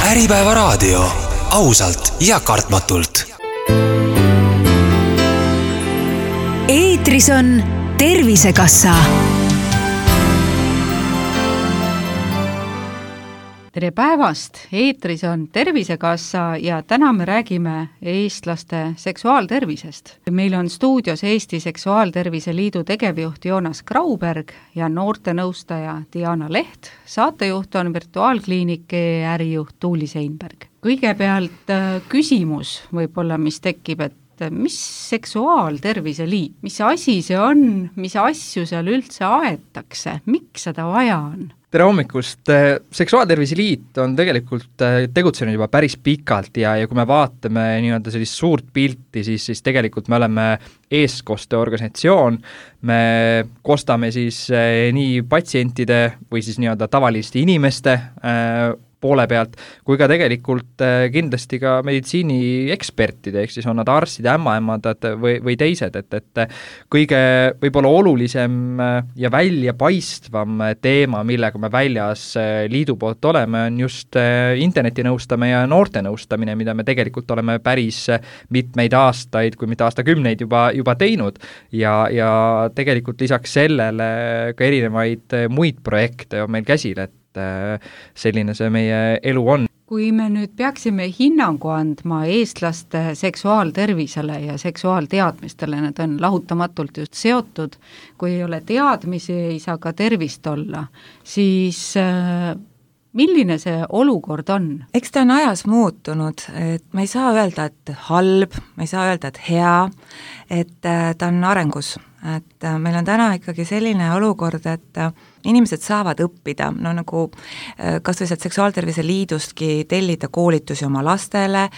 Äripäevaraadio. Ausalt ja kartmatult. Eetris on Tervisekassa. Tere päevast! Eetris on Tervisekassa ja täna me räägime eestlaste seksuaaltervisest. Meil on stuudios Eesti Seksuaaltervise Liidu tegevjuht Joonas Grauberg ja noortenõustaja Diana Leht. Saatejuht on virtuaalkliiniki ärijuht Tuuli Seinberg. Kõigepealt küsimus võib-olla, mis tekib, et mis seksuaaltervise liit, mis asi see on, mis asju seal üldse aetakse, miks seda vaja on? Tere hommikust! Seksuaaltervise liit on tegelikult tegutsenud juba päris pikalt ja kui me vaatame nii-öelda sellist suurt pilti, siis tegelikult me oleme eestkosteorganisatsioon, me kostame siis nii patsientide või siis nii-öelda tavaliste inimeste poole pealt, kui ka tegelikult kindlasti ka meditsiiniekspertide, ehk siis on nad arstid, ämmaemandad või teised, et kõige võib-olla olulisem ja väljapaistvam teema, millega me väljas liidu poolt oleme, on just internetinõustamine ja noortenõustamine, mida me tegelikult oleme päris mitmeid aastaid, kui mitte aastakümneid juba teinud ja tegelikult lisaks sellele ka erinevaid muid projekte on meil käsil, et selline see meie elu on. Kui me nüüd peaksime hinnangu andma eestlaste seksuaaltervisele ja seksuaalteadmistele, need on lahutamatult just seotud, kui ei ole teadmisi, ei saa ka tervist olla, siis milline see olukord on? Eks ta on ajas muutunud, et ma ei saa öelda, et halb, ma ei saa öelda, et hea, et ta on arengus. Et meil on täna ikkagi selline olukord, et inimesed saavad õppida, no nagu kas või sealt Seksuaaltervise Liidustki tellida koolitusi oma lastele,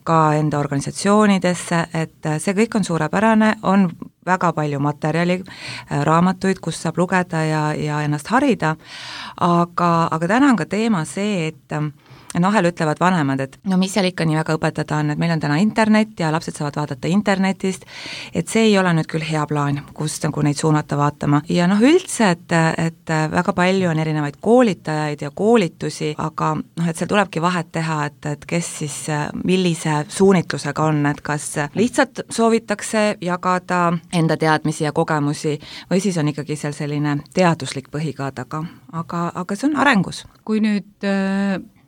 ka enda organisatsioonidesse, et see kõik on suurepärane, on väga palju materjali, raamatuid, kus saab lugeda ja ennast harida, aga täna on ka teema see, et vahel ütlevad vanemad, et no mis seal ikka nii väga õpetada on, et meil on täna internet ja lapsed saavad vaadata internetist, et see ei ole nüüd küll hea plaan, kust nagu neid suunata vaatama. Ja üldse, et väga palju on erinevaid koolitajaid ja koolitusi, aga et seal tulebki vahet teha, et kes siis millise suunitlusega on, et kas lihtsalt soovitakse jagada enda teadmisi ja kogemusi või siis on ikkagi seal selline teaduslik põhi ka taga, aga see on arengus. Kui nüüd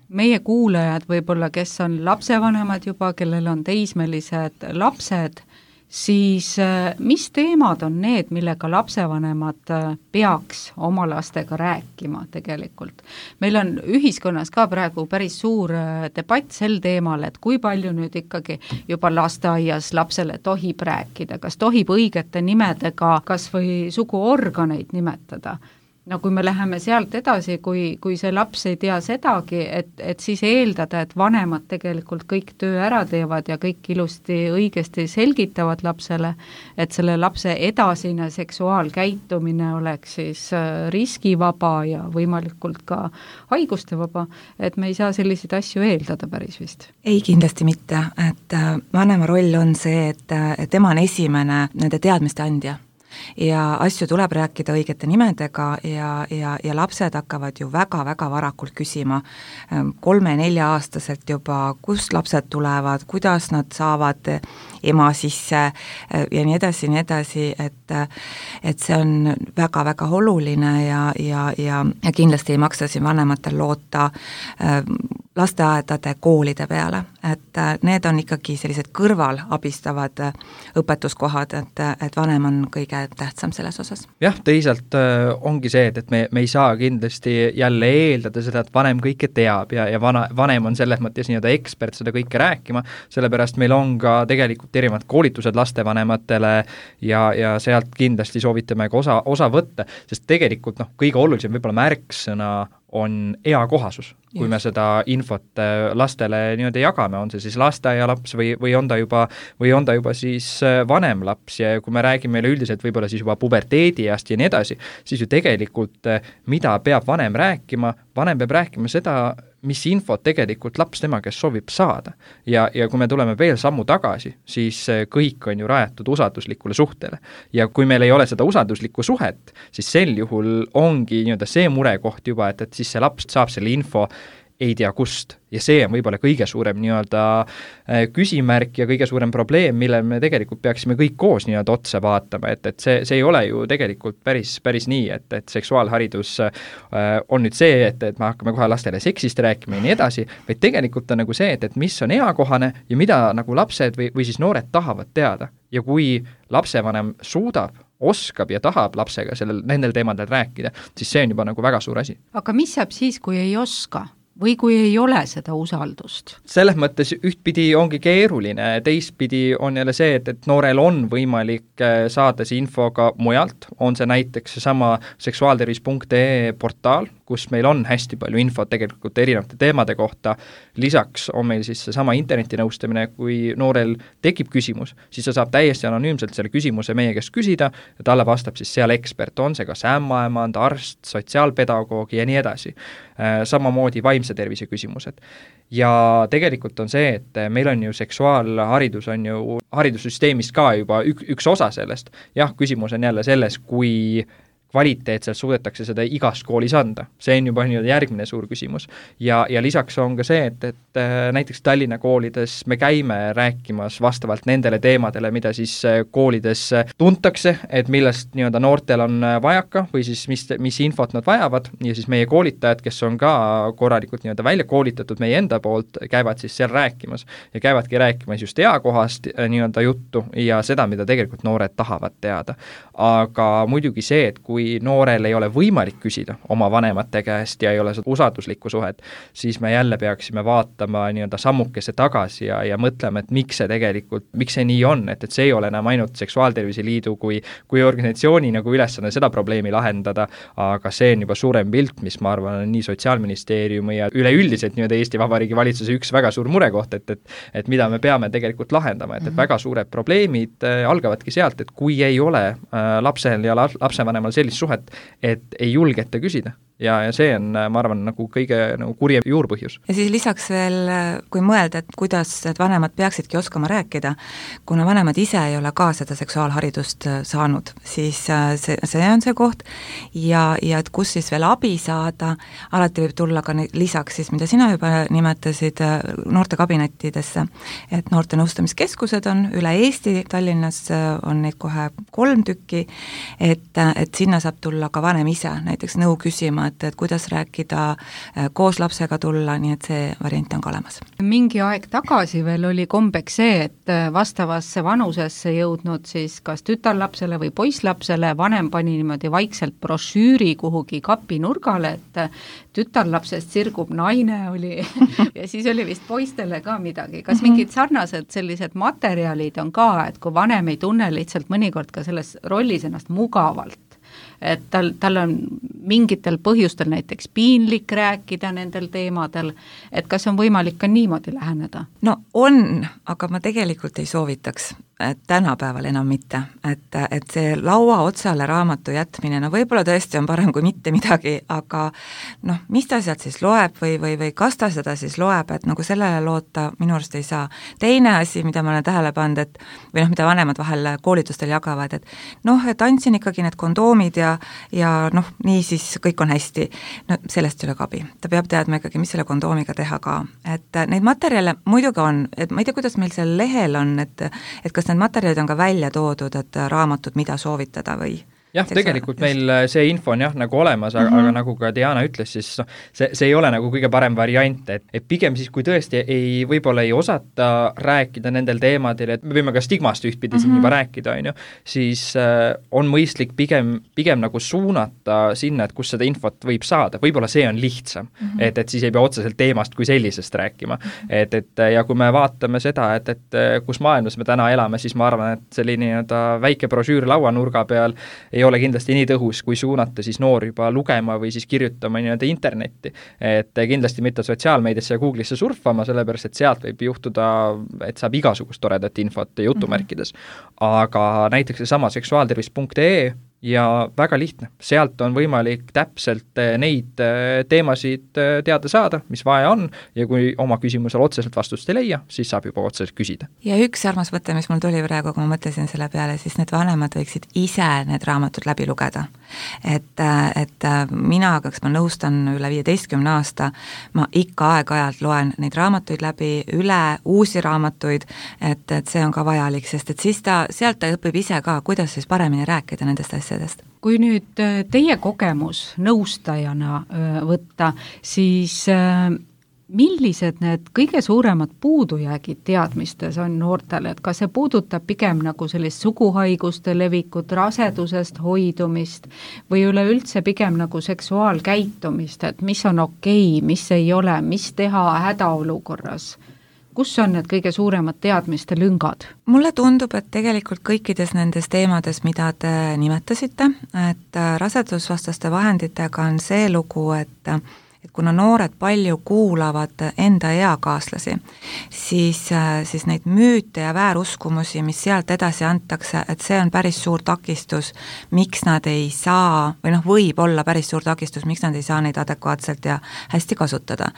meie kuulajad võib-olla, kes on lapsevanemad juba, kellel on teismelised lapsed, siis mis teemad on need, millega lapsevanemad peaks oma lastega rääkima tegelikult? Meil on ühiskonnas ka praegu päris suur debatt sel teemal, et kui palju nüüd ikkagi juba lasteaias lapsele tohib rääkida, kas tohib õigete nimedega kas või suguorganeid nimetada? No kui me läheme sealt edasi, kui see laps ei tea sedagi, et siis eeldada, et vanemad tegelikult kõik töö ära teevad ja kõik ilusti õigesti selgitavad lapsele, et selle lapse edasine seksuaalkäitumine oleks siis riskivaba ja võimalikult ka haigustevaba, et me ei saa selliseid asju eeldada päris vist. Ei, kindlasti mitte, et vanema roll on see, et tema on esimene nende teadmiste andja. Ja asju tuleb rääkida õigete nimedega ja lapsed hakkavad ju väga-väga varakult küsima 3-4-aastaselt juba, kust lapsed tulevad, kuidas nad saavad ema sisse ja nii edasi, et see on väga-väga oluline ja kindlasti ei maksa siin vanematel loota lasteaedade koolide peale, et need on ikkagi sellised kõrval abistavad õpetuskohad, et vanem on kõige tähtsam selles osas. Jah, teisalt ongi see, et me ei saa kindlasti jälle eeldada seda, et vanem kõike teab ja vanem on selles mõttes nii-öelda ekspert seda kõike rääkima, sellepärast meil on ka tegelikult erinevad koolitused lastevanematele ja sealt kindlasti soovitame ka osa võtta, sest tegelikult kõige olulisem võib-olla märksõna on eakohasus, kui me seda infot lastele niimoodi jagame, on see siis lasteaialaps või on ta juba siis vanem laps ja kui me räägime üldiselt võib-olla siis juba puberteediast ja nii edasi, siis ju tegelikult mida peab vanem rääkima seda, mis infot tegelikult laps tema käest soovib saada. Ja kui me tuleme veel sammu tagasi, siis kõik on ju rajatud usalduslikule suhtele. Ja kui meil ei ole seda usalduslikku suhet, siis sel juhul ongi nii-öelda see murekoht juba, et siis see laps saab selle info ei tea kust. Ja see on võib-olla kõige suurem nii-öelda küsimärk ja kõige suurem probleem, mille me tegelikult peaksime kõik koos nii-öelda otsa vaatama, et see ei ole ju tegelikult päris nii, et seksuaalharidus on nüüd see, et me hakkame kohe lastele seksist rääkima ja nii edasi, vaid tegelikult on nagu see, et mis on eakohane ja mida nagu lapsed või siis noored tahavad teada. Ja kui lapsevanem suudab, oskab ja tahab lapsega nendel teemadel rääkida, siis see on juba nagu väga suur asi. Aga mis saab siis, kui ei oska? Või kui ei ole seda usaldust? Selles mõttes ühtpidi ongi keeruline, teistpidi on jälle see, et noorel on võimalik saada see info ka mujalt, on see näiteks sama seksuaaltervis.ee portaal, kus meil on hästi palju infot tegelikult erinevate teemade kohta, lisaks on meil siis seesama internetinõustamine, kui noorel tekib küsimus, siis ta saab täiesti anonüümselt selle küsimuse meie käest küsida ja talle vastab siis seal ekspert, on see kas ämmaemand, arst, sotsiaalpedagoog ja nii edasi. Samamoodi vaimse tervise küsimused. Ja tegelikult on see, et meil on ju seksuaalharidus on ju haridussüsteemist ka juba üks osa sellest. Jah, küsimus on jälle selles, kui kvaliteetselt suudetakse seda igas koolis anda. See on juba järgmine suur küsimus. Ja lisaks on ka see, et näiteks Tallinna koolides me käime rääkimas vastavalt nendele teemadele, mida siis koolides tuntakse, et millest nii-öelda noortel on vajaka või siis mis infot nad vajavad ja siis meie koolitajad, kes on ka korralikult nii-öelda välja koolitatud meie enda poolt, käivad siis seal rääkimas ja käivadki rääkimas just eakohast nii-öelda juttu ja seda, mida tegelikult noored tahavad teada. Aga muidugi see, et kui noorel ei ole võimalik küsida oma vanemate käest ja ei ole seda usalduslikku suhet, siis me jälle peaksime vaatama nii-öelda sammukese tagasi ja mõtlema, et miks see nii on, et see ei ole enam ainult Seksuaaltervise Liidu kui organisatsiooni nagu ülesanne seda probleemi lahendada, aga see on juba suurem pilt, mis ma arvan on nii Sotsiaalministeeriumi ja üleüldiselt nii-öelda Eesti Vabariigi valitsuse üks väga suur murekoht, et mida me peame tegelikult lahendama, et väga suured probleemid algavadki sealt, et kui ei ole lapsel ja lapsevanemal sellist suhet, et ei julgeta küsida. Ja see on, ma arvan, nagu kõige nagu kurjem juurpõhjus. Ja siis lisaks veel, kui mõelda, et kuidas need vanemad peaksidki oskama rääkida, kuna vanemad ise ei ole ka seda seksuaalharidust saanud, siis see on see koht ja et kus siis veel abi saada, alati võib tulla ka lisaks siis, mida sina juba nimetasid, noortekabinettidesse, et noorte nõustamiskeskused on üle Eesti, Tallinnas on neid kohe 3 tükki, et sinna saab tulla ka vanem ise, näiteks nõu küsima, et kuidas rääkida, koos lapsega tulla, nii et see variant on ka olemas. Mingi aeg tagasi veel oli kombeks see, et vastavasse vanusesse jõudnud siis kas tütarlapsele või poisslapsele vanem pani niimoodi vaikselt brošüüri kuhugi kapinurgale, et tütarlapsest sirgub naine oli ja siis oli vist poistele ka midagi. Kas mingid sarnased sellised materjalid on ka, et kui vanem ei tunne lihtsalt mõnikord ka selles rollis ennast mugavalt, et tal on mingitel põhjustel näiteks piinlik rääkida nendel teemadel, et kas on võimalik ka niimoodi läheneda? No on, aga ma tegelikult ei soovitaks, et tänapäeval enam mitte, et see laua otsale raamatu jätmine, no võib-olla tõesti on parem kui mitte midagi, aga noh, mis ta sealt siis loeb või kas ta seda siis loeb, et nagu sellele loota minu arust ei saa. Teine asi, mida ma olen tähele pannud, et või noh, mida vanemad vahel koolitustel jagavad, et noh, et andsin ikkagi need kondoomid ja noh, nii siis kõik on hästi. No sellest ei ole abi. Ta peab teadma ikkagi, mis selle kondoomiga teha ka. Et neid materjale muidugi on, et ma ei tea, kuidas meil seal lehel on, et kas need materjalid on ka välja toodud, et raamatud, mida soovitada või? Jah, tegelikult meil see info on jah nagu olemas, aga nagu ka Diana ütles, siis see ei ole nagu kõige parem variant, et pigem siis, kui tõesti võib-olla ei osata rääkida nendel teemadel, et me võime ka stigmast ühtpidi siin juba rääkida, siis on mõistlik pigem nagu suunata sinna, et kus seda infot võib saada, võib-olla see on lihtsam, et siis ei pea otseselt teemast kui sellisest rääkima, ja kui me vaatame seda, et kus maailmas me täna elame, siis ma arvan, et selline väike brošüür lauanurga peal ei ole kindlasti nii tõhus, kui suunata siis noor juba lugema või siis kirjutama internetti. Et kindlasti mitte sotsiaalmeediasse ja Google'isse surfama, sellepärast et sealt võib juhtuda, et saab igasugust toredat infot jutumärkides. Aga näiteks seesama seksuaaltervis.ee ja väga lihtne, sealt on võimalik täpselt neid teemasid teada saada, mis vaja on ja kui oma küsimusele otseselt vastust ei leia, siis saab juba otseselt küsida. Ja üks armas mõte, mis mul tuli praegu, kui ma mõtlesin selle peale, siis need vanemad võiksid ise need raamatud läbi lugeda. Et mina, kas ma nõustan üle 15 aasta, ma ikka aeg-ajalt loen neid raamatuid läbi, üle uusi raamatuid, et see on ka vajalik, sest et siis sealt ta õpib ise ka, kuidas siis paremini rääkida nendest asjadest. Kui nüüd teie kogemus nõustajana võtta, siis millised need kõige suuremad puudujäägid teadmistes on noortele, et kas see puudutab pigem nagu sellist suguhaiguste levikut, rasedusest hoidumist või üleüldse pigem nagu seksuaalkäitumist, et mis on okei, mis ei ole, mis teha hädaolukorras? Kus on need kõige suuremad teadmiste lüngad? Mulle tundub, et tegelikult kõikides nendes teemades, mida te nimetasite, et rasedusvastaste vahenditega on see lugu, et kuna noored palju kuulavad enda eakaaslasi, siis neid müüte ja vääruskumusi, mis sealt edasi antakse, et see on päris suur takistus, miks nad ei saa, või võib olla päris suur takistus, miks nad ei saa neid adekvaatselt ja hästi kasutada.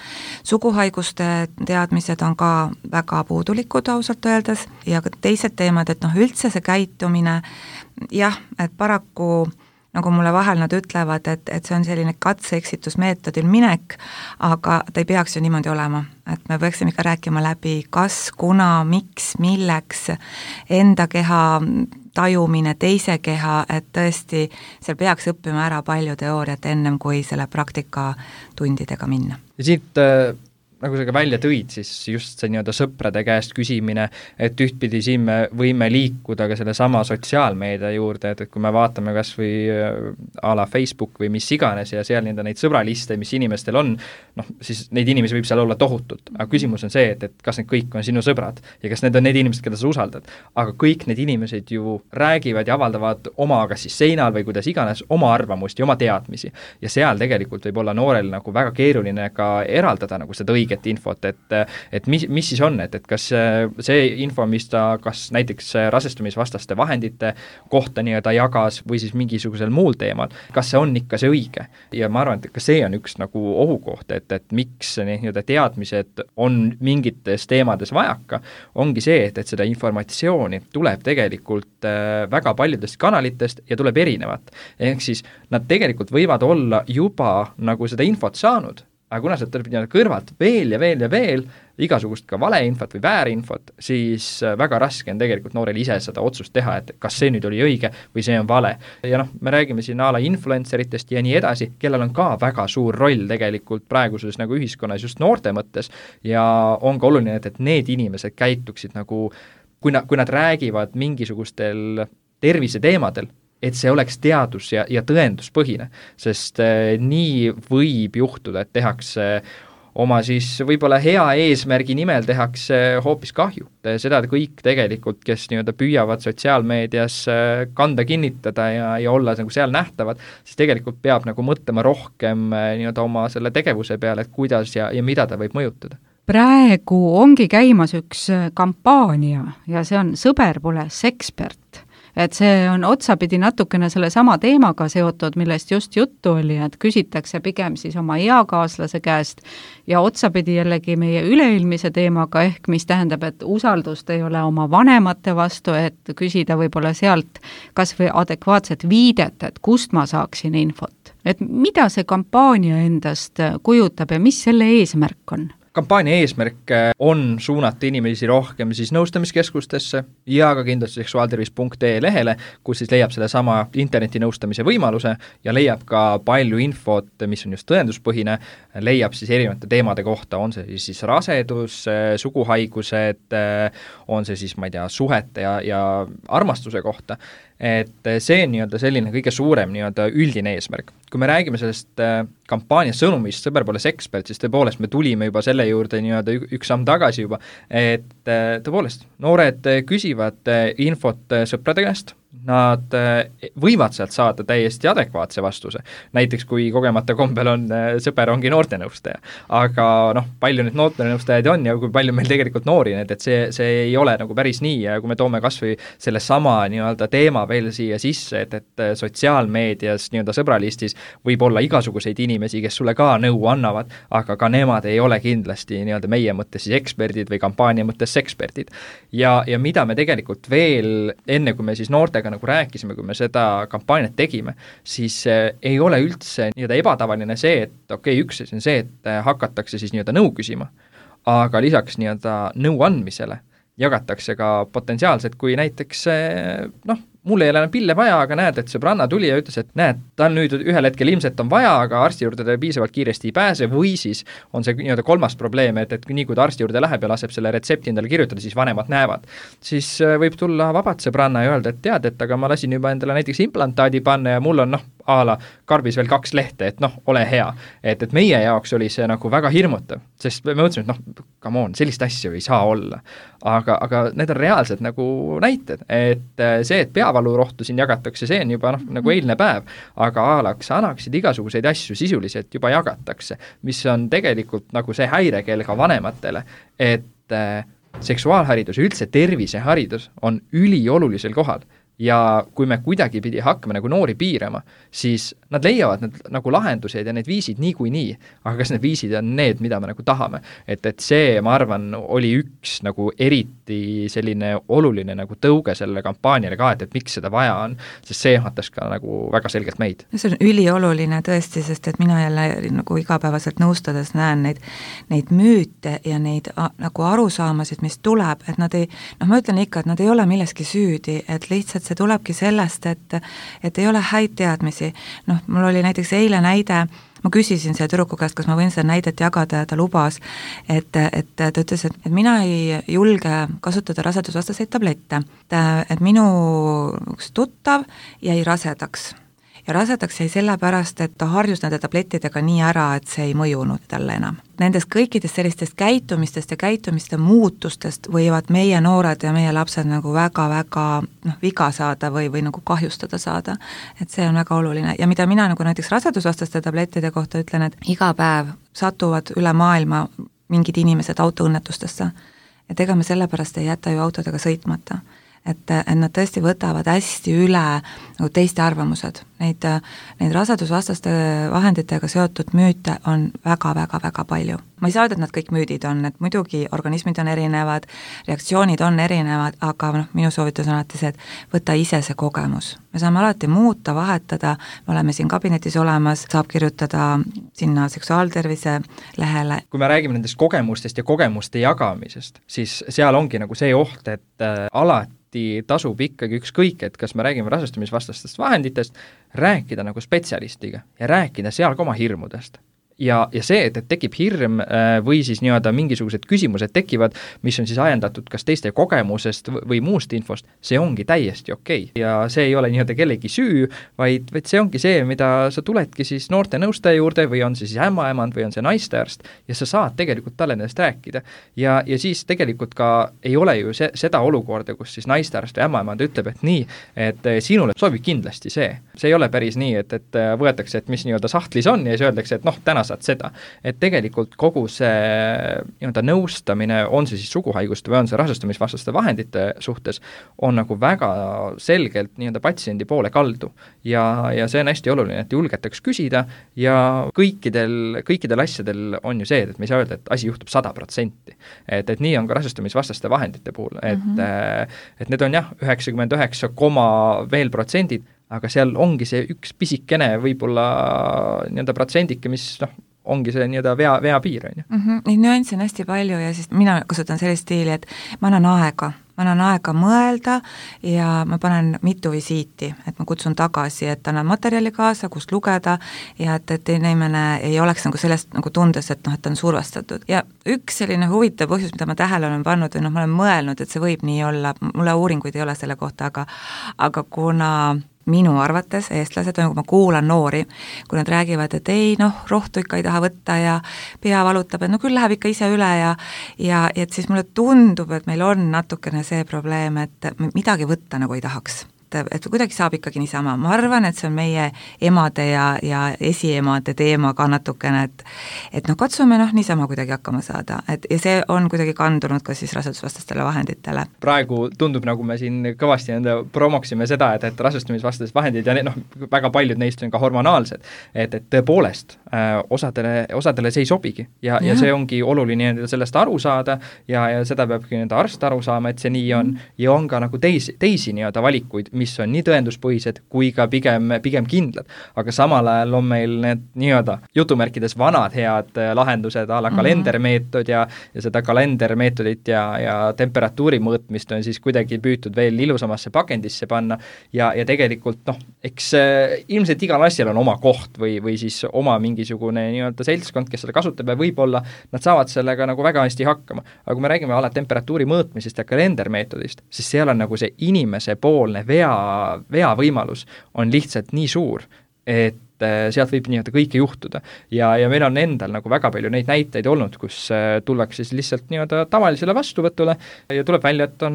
Suguhaiguste teadmised on ka väga puudulikud ausalt öeldes ja ka teised teemad, et üldse see käitumine, jah, et paraku nagu mulle vahel nad ütlevad, et see on selline katse-eksitusmeetodil minek, aga ta ei peaks ju niimoodi olema. Et me peaksime ikka rääkima läbi, kas, kuna, miks, milleks, enda keha tajumine, teise keha, et tõesti seal peaks õppima ära palju teooriat ennem, kui selle praktika tundidega minna. Ja siit nagu sa ka välja tõid, siis just see nii-öelda sõprade käest küsimine, et ühtpidi siin me võime liikuda ka selle sama sotsiaalmeedia juurde, et kui me vaatame kas või a la Facebook või mis iganes ja seal neid sõbraliste, mis inimestel on, siis neid inimesi võib seal olla tohutult, aga küsimus on see, et kas need kõik on sinu sõbrad ja kas need on need inimesed, keda sa usaldad, aga kõik need inimesed ju räägivad ja avaldavad oma kas siis seinal või kuidas iganes oma arvamust ja oma teadmisi ja seal tegelikult võib olla noorel nagu väga keeruline ka eraldada nagu seda õiget infot, et mis siis on, et kas see info, mis ta kas näiteks rasestumisvastaste vahendite kohta nii-öelda jagas või siis mingisugusel muul teemal, kas see on ikka see õige. Ja ma arvan, et ka see on üks nagu ohukoht, et miks nii-öelda teadmised on mingites teemades vajaka, ongi see, et seda informatsiooni tuleb tegelikult väga paljudest kanalitest ja tuleb erinevat. Ehk siis nad tegelikult võivad olla juba nagu seda infot saanud, aga kuna sealt tuleb kõrvalt veel ja veel ja veel igasugust ka valeinfot või väärinfot, siis väga raske on tegelikult noorel ise seda otsust teha, et kas see nüüd oli õige või see on vale. Ja me räägime siin a la influenceritest ja nii edasi, kellel on ka väga suur roll tegelikult praeguses nagu ühiskonnas just noorte mõttes ja on ka oluline, et need inimesed käituksid nagu, kui nad räägivad mingisugustel terviseteemadel, et see oleks teadus- ja tõenduspõhine, sest nii võib juhtuda, et tehakse oma siis võib-olla hea eesmärgi nimel tehakse hoopis kahju. Seda kõik tegelikult, kes nii-öelda püüavad sotsiaalmeedias kanda kinnitada ja olla nagu seal nähtavad, siis tegelikult peab nagu mõtlema rohkem nii-öelda oma selle tegevuse peale, et kuidas ja mida ta võib mõjutada. Praegu ongi käimas üks kampaania ja see on Sõber pole sekspert. Et see on otsapidi natukene selle sama teemaga seotud, millest just juttu oli, et küsitakse pigem siis oma eakaaslase käest ja otsapidi jällegi meie üleilmise teemaga ehk mis tähendab, et usaldust ei ole oma vanemate vastu, et küsida võib-olla sealt kas või adekvaatset viidet, et kust ma saaksin infot. Et mida see kampaania endast kujutab ja mis selle eesmärk on? Kampaania eesmärk on suunata inimesi rohkem siis nõustamiskeskustesse ja ka kindlasti seksuaaltervis.ee lehele, kus siis leiab selle sama internetinõustamise võimaluse ja leiab ka palju infot, mis on just tõenduspõhine, leiab siis erinevate teemade kohta, on see siis rasedus, suguhaigused, on see siis, ma ei tea, suhete ja armastuse kohta. Et see on nii-öelda selline kõige suurem nii-öelda üldine eesmärk. Kui me räägime sellest kampaania sõnumist Sõber pole sekspert, siis tõepoolest me tulime juba selle juurde nii-öelda üks samm tagasi juba, et tõepoolest noored küsivad infot sõprade käest, nad võivad sealt saada täiesti adekvaatse vastuse. Näiteks kui kogemata kombel on sõber ongi noortenõustaja. Aga palju nüüd noortenõustajaid on ja kui palju meil tegelikult noori, et see ei ole nagu päris nii ja kui me toome kas või selle sama nii-öelda teema veel siia sisse, et sotsiaalmeedias nii-öelda sõbralistis võib olla igasuguseid inimesi, kes sulle ka nõu annavad, aga ka nemad ei ole kindlasti nii-öelda meie mõttes siis eksperdid või kampaania mõttes eksperdid. Ja mida me tegelikult veel enne, kui me siis noortega nagu rääkisime, kui me seda kampaaniat tegime, siis ei ole üldse nii-öelda ebatavaline see, et üks asi on see, et hakatakse siis nii-öelda nõu küsima, aga lisaks nii-öelda nõu andmisele jagatakse ka potentsiaalselt, kui näiteks mul ei ole pille vaja, aga näed, et sõbranna tuli ja ütles, et näed, tal nüüd ühel hetkel ilmselt on vaja, aga arsti juurde ta piisavalt kiiresti ei pääse või siis on see nii-öelda kolmas probleem, et nii kui ta arsti juurde läheb ja laseb selle retsepti endale kirjutada, siis vanemad näevad. Siis võib tulla vabad sõbranna ja öelda, et tead, et aga ma lasin juba endale näiteks implantaadi panna ja mul on a la karbis veel 2 lehte, et ole hea. Et meie jaoks oli see nagu väga hirmutav, sest me mõtlesime, et come on, sellist asja ei saa olla. Aga need on reaalselt nagu näited, et see, et peavalurohtu siin jagatakse, see on juba nagu eilne päev, aga annaksid igasuguseid asju sisuliselt juba jagatakse, mis on tegelikult nagu see häirekeel ka vanematele, et seksuaalharidus ja üldse terviseharidus on üliolulisel kohal. Ja kui me kuidagi pidi hakkame nagu noori piirama, siis nad leiavad need nagu lahendused ja need viisid nii, aga kas need viisid on need, mida me nagu tahame. Et see, ma arvan, oli üks nagu eriti selline oluline nagu tõuge selle kampaaniale ka, et miks seda vaja on, sest see jätas ka nagu väga selgelt meid. See on ülioluline tõesti, sest et mina jälle nagu igapäevaselt nõustades näen neid müüte ja neid nagu arusaamasid, mis tuleb, et nad ei, ma ütlen ikka, et nad ei ole milleski süüdi, et lihtsalt see tulebki sellest, et ei ole häid teadmisi. Mul oli näiteks eile näide, ma küsisin selle tüdruku käest, kas ma võin seda näidet jagada ja ta lubas, et ta ütles, et mina ei julge kasutada rasedusvastaseid tablette, et minu tuttav jäi rasedaks. Ja rasedaks jäi sellepärast, et ta harjus nende tablettidega nii ära, et see ei mõjunud talle enam. Nendest kõikidest sellistest käitumistest ja käitumiste muutustest võivad meie noored ja meie lapsed nagu väga-väga viga saada või nagu kahjustada saada. Et see on väga oluline. Ja mida mina nagu näiteks rasedusvastaste tablettide kohta ütlen, et iga päev satuvad üle maailma mingid inimesed autoõnnetustesse. Et ega me sellepärast ei jäta ju autodega sõitmata. Et nad tõesti võtavad hästi üle nagu teiste arvamused. Neid rasedusvastaste vahenditega seotud müüte on väga-väga-väga palju. Ma ei saa öelda, et nad kõik müüdid on, et muidugi organismid on erinevad, reaktsioonid on erinevad, aga minu soovitus on alati see, et võta ise see kogemus. Me saame alati muuta, vahetada, me oleme siin kabinetis olemas, saab kirjutada sinna seksuaaltervise lehele. Kui me räägime nendest kogemustest ja kogemuste jagamisest, siis seal ongi nagu see oht, et alati tasub ikkagi ükskõik, et kas me räägime rasestumisvastastest vahenditest, rääkida nagu spetsialistiga ja rääkida seal ka oma hirmudest. Ja see, et tekib hirm või siis nii-öelda mingisugused küsimused tekivad, mis on siis ajendatud kas teiste kogemusest või muust infost, see ongi täiesti okei. Ja see ei ole nii-öelda kellegi süü, vaid see ongi see, mida sa tuledki siis noorte nõustaja juurde või on see siis ämmaemand või on see naistearst ja sa saad tegelikult talle nendest rääkida. Ja siis tegelikult ka ei ole ju seda olukorda, kus siis naistearst või ämmaemand ütleb, et nii, et sinule sobib kindlasti see. See ei ole päris nii, et võetakse, et mis nii-öelda sahtlis on ja siis öeldakse, et täna saad seda. Et tegelikult kogu see nii-öelda nõustamine, on see siis suguhaiguste või on see rasestumisvastaste vahendite suhtes, on nagu väga selgelt nii-öelda patsiendi poole kaldu. Ja see on hästi oluline, et julgetaks küsida ja kõikidel asjadel on ju see, et me ei saa öelda, et asi juhtub 100%. Et nii on ka rasestumisvastaste vahendite puhul. Et need on 99, veel protsendid, aga seal ongi see üks pisikene võib-olla nii-öelda protsendike, mis ongi see nii-öelda vea piir. Neid nüansse on hästi palju ja siis mina kasutan sellist stiili, et ma annan aega mõelda ja ma panen mitu visiiti, et ma kutsun tagasi, et annan materjali kaasa, kust lugeda ja et inimene ei oleks nagu sellest nagu tundes, et ta on survestatud. Ja üks selline huvitav põhjus, mida ma tähele olen pannud või ma olen mõelnud, et see võib nii olla, mulle uuringuid ei ole selle kohta, aga kuna minu arvates eestlased, kui ma kuulan noori, kui nad räägivad, et ei, rohtu ikka ei taha võtta ja pea valutab, et küll läheb ikka ise üle ja et siis mulle tundub, et meil on natukene see probleem, et midagi võtta nagu ei tahaks. et kuidagi saab ikkagi niisama. Ma arvan, et see on meie emade ja esiemade teema ka natukene, et katsume niisama kuidagi hakkama saada, ja see on kuidagi kandunud ka siis rasedusvastastele vahenditele. Praegu tundub, nagu me siin kõvasti promoksime seda, et rasestumisvastased vahendid ja väga paljud neist on ka hormonaalsed, et tõepoolest osadele see ei sobigi ja see ongi oluline sellest aru saada ja seda peabki arst aru saama, et see nii on ja on ka nagu teisi valikuid, mis on nii tõenduspõhised kui ka pigem kindlad. Aga samal ajal on meil need jutumärkides vanad head lahendused a la kalendermeetod ja seda kalendermeetodit ja temperatuuri mõõtmist on siis kuidagi püütud veel ilusamasse pakendisse panna ja tegelikult eks ilmselt igal asjal on oma koht või siis oma mingisugune seltskond, kes seda kasutab ja võib-olla nad saavad sellega nagu väga hästi hakkama. Aga kui me räägime ala temperatuuri mõõtmisest ja kalendermeetodist, siis seal on nagu see inimese poolne vea võimalus on lihtsalt nii suur, et sealt võib kõike juhtuda. Ja meil on endal nagu väga palju neid näiteid olnud, kus tullakse siis lihtsalt tavalisele vastuvõtule ja tuleb välja, et on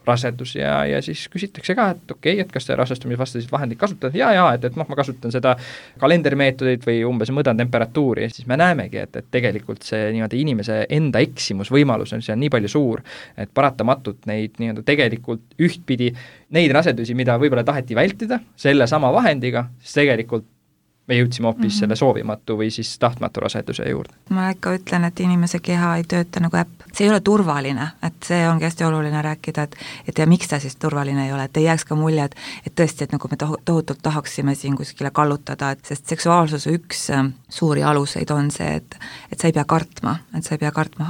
rasedus ja siis küsitakse ka, et okei, et kas te rasestumisvastasid vahendid kasutate? Et ma kasutan seda kalendermeetodit või umbes mõõdan temperatuuri, siis me näemegi, et tegelikult see inimese enda eksimusvõimalus on seal nii palju suur, et paratamatult neid tegelikult ühtpidi neid rasedusi, mida võib-olla taheti vältida selle sama vahendiga, siis tegelikult me jõudsime hoopis selle soovimatu või siis tahtmatu raseduse juurde. Ma ikka ütlen, et inimese keha ei tööta nagu äpp. See ei ole turvaline, et see ongi hästi oluline rääkida, et ja miks ta siis turvaline ei ole, et ei jääks ka mulje, et tõesti, et nagu me tohutult tahaksime siin kuskile kallutada, sest seksuaalsuse üks suuri aluseid on see, et sa ei pea kartma,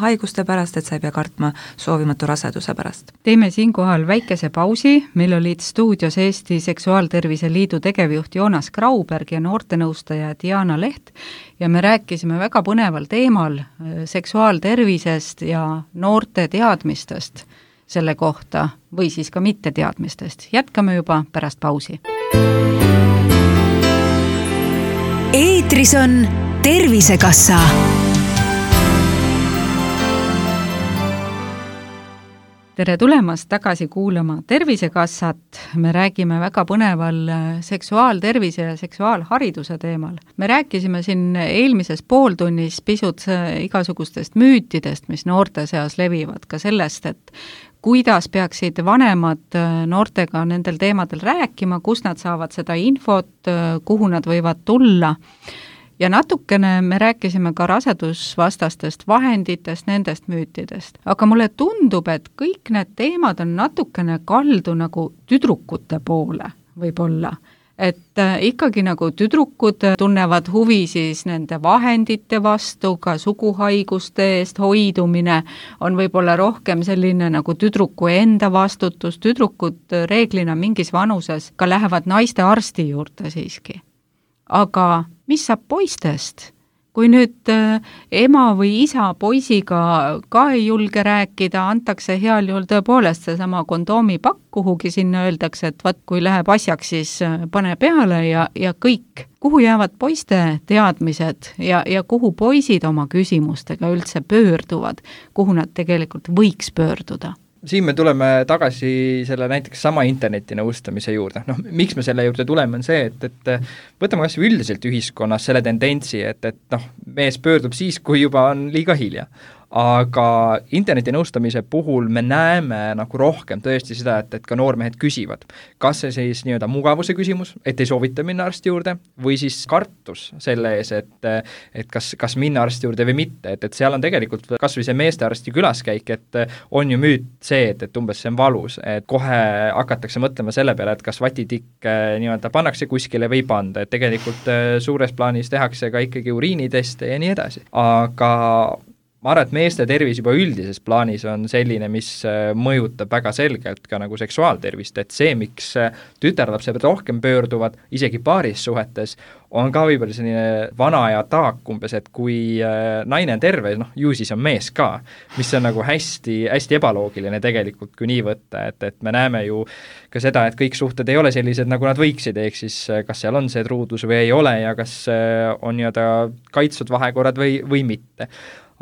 haiguste pärast, et sa ei pea kartma soovimatu raseduse pärast. Teeme siinkohal väikese pausi, meil olid stuudios Eesti Seksuaaltervise Liidu tegevjuht Joonas Grauberg ja noortenõustaja Diana Leht ja me rääkisime väga põneval teemal seksuaaltervisest ja noorte teadmistest selle kohta või siis ka mitte teadmistest. Jätkame juba pärast pausi. Eetris on Tervisekassa. Tere tulemast tagasi kuulama Tervisekassat. Me räägime väga põneval seksuaaltervise ja seksuaalhariduse teemal. Me rääkisime siin eelmises pooltunnis pisut igasugustest müütidest, mis noorte seas levivad, ka sellest, et kuidas peaksid vanemad noortega nendel teemadel rääkima, kus nad saavad seda infot, kuhu nad võivad tulla. Ja natukene me rääkisime ka rasedusvastastest vahenditest, nendest müütidest. Aga mulle tundub, et kõik need teemad on natukene kaldu nagu tüdrukute poole võib-olla. Et ikkagi nagu tüdrukud tunnevad huvi siis nende vahendite vastu, ka suguhaiguste eest hoidumine on võib-olla rohkem selline nagu tüdruku enda vastutus. Tüdrukud reeglina mingis vanuses ka lähevad naiste arsti juurde siiski. Aga mis saab poistest? Kui nüüd ema või isa poisiga ka ei julge rääkida, antakse heal juhul tõepoolest seesama kondoomipakk kuhugi sinna, öeldakse, et kui läheb asjaks, siis pane peale ja kõik. Kuhu jäävad poiste teadmised ja kuhu poisid oma küsimustega üldse pöörduvad, kuhu nad tegelikult võiks pöörduda? Siin me tuleme tagasi selle näiteks sama interneti nõustamise juurde. Miks me selle juurde tuleme on see, et võtame kas üldiselt ühiskonnas selle tendentsi, et mees pöördub siis, kui juba on liiga hilja. Aga interneti nõustamise puhul me näeme nagu rohkem tõesti seda, et ka noormehed küsivad. Kas see siis mugavuse küsimus, et ei soovita minna arsti juurde, või siis kartus selle ees, et kas minna arsti juurde või mitte. Et seal on tegelikult kas või see meestearsti külaskäik, et on ju müüt see, et umbes see on valus, et kohe hakatakse mõtlema selle peale, et kas vatitikk pannakse kuskile või panda, et tegelikult suures plaanis tehakse ka ikkagi uriiniteste ja nii edasi. Aga ma arvan, et meeste tervis juba üldises plaanis on selline, mis mõjutab väga selgelt ka nagu seksuaaltervist, et see, miks tütarlapsed rohkem pöörduvad, isegi paaris suhetes, on ka võib-olla selline vana aja taak umbes, et kui naine on terve, ju siis on mees ka, mis on nagu hästi ebaloogiline tegelikult, kui nii võtta, et me näeme ju ka seda, et kõik suhted ei ole sellised, nagu nad võiksid, ehk siis kas seal on see truudus või ei ole ja kas on kaitstud vahekorrad või mitte.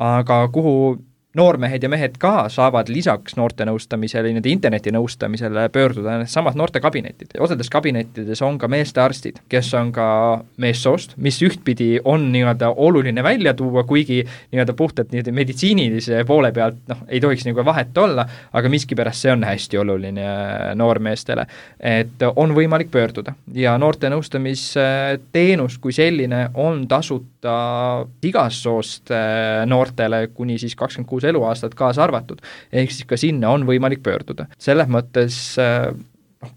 Aga kuhu noormehed ja mehed ka saavad lisaks noorte nõustamisele, interneti nõustamisele pöörduda samad noortekabinetid. Osades kabinettides on ka meestearstid, kes on ka meessoost, mis ühtpidi on nii-öelda oluline välja tuua, kuigi nii-öelda puhtalt nii-öelda meditsiinilise poole pealt ei tohiks nagu vahet olla, aga miskipärast see on hästi oluline noormeestele, et on võimalik pöörduda. Ja noorte nõustamisteenus kui selline on tasuta igast soost noortele kuni siis 26 eluaastat kaasa arvatud, ehk siis ka sinna on võimalik pöörduda. Selles mõttes,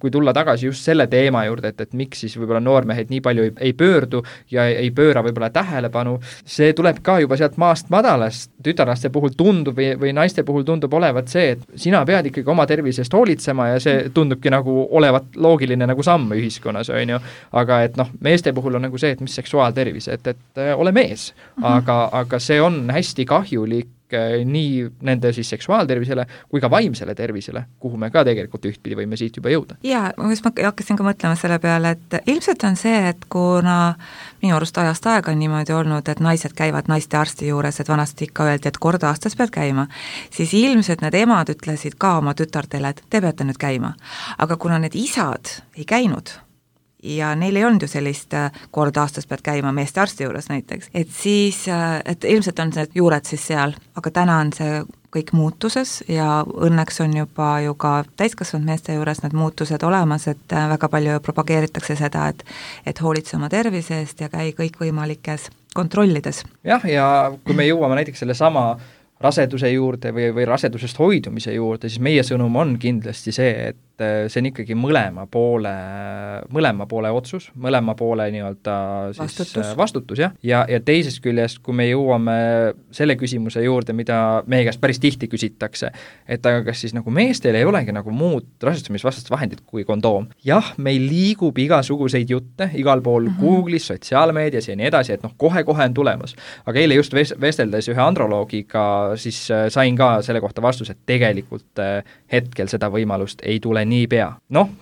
kui tulla tagasi just selle teema juurde, et miks siis võib-olla noormehed nii palju ei pöördu ja ei pööra võib-olla tähelepanu, see tuleb ka juba sealt maast madalast. Tütarlaste puhul tundub või naiste puhul tundub olevat see, et sina pead ikkagi oma tervisest hoolitsema ja see tundubki nagu olevat loogiline nagu samm ühiskonnas, on ju. Aga et meeste puhul on nagu see, et mis seksuaaltervis, et ole mees, aga see on hästi kahjulik nii nende siis seksuaaltervisele kui ka vaimsele tervisele, kuhu me ka tegelikult ühtpidi võime siit juba jõuda. Ja, ma hakkasin ka mõtlema selle peale, et ilmselt on see, et kuna minu arust ajast aega on niimoodi olnud, et naised käivad naiste arsti juures, et vanasti ikka öeldi, et kord aastas pead käima, siis ilmselt need emad ütlesid ka oma tütartele, et te peate nüüd käima. Aga kuna need isad ei käinud, ja neil ei olnud ju sellist kord aastas pead käima meeste arsti juures näiteks, et siis, et ilmselt on see juured siis seal, aga täna on see kõik muutuses ja õnneks on juba ju ka täiskasvanud meeste juures need muutused olemas, et väga palju propageeritakse seda, et hoolitse oma tervise eest ja käi kõikvõimalikes kontrollides. Jah, ja kui me jõuame näiteks selle sama raseduse juurde või rasedusest hoidumise juurde, siis meie sõnum on kindlasti see, et see on ikkagi mõlema poole otsus, mõlema poole nii-öelda siis vastutus ja teisest küljest, kui me jõuame selle küsimuse juurde, mida meie käest päris tihti küsitakse, et aga kas siis nagu meestel ei olegi nagu muud rasestumisvastast vahendit kui kondoom. Jah, meil liigub igasuguseid jutte igal pool Google'is, sotsiaalmeedias ja nii edasi, et kohe-kohe on tulemas. Aga eile just vesteldes ühe androloogiga siis sain ka selle kohta vastus, et tegelikult hetkel seda võimalust ei tule niipea.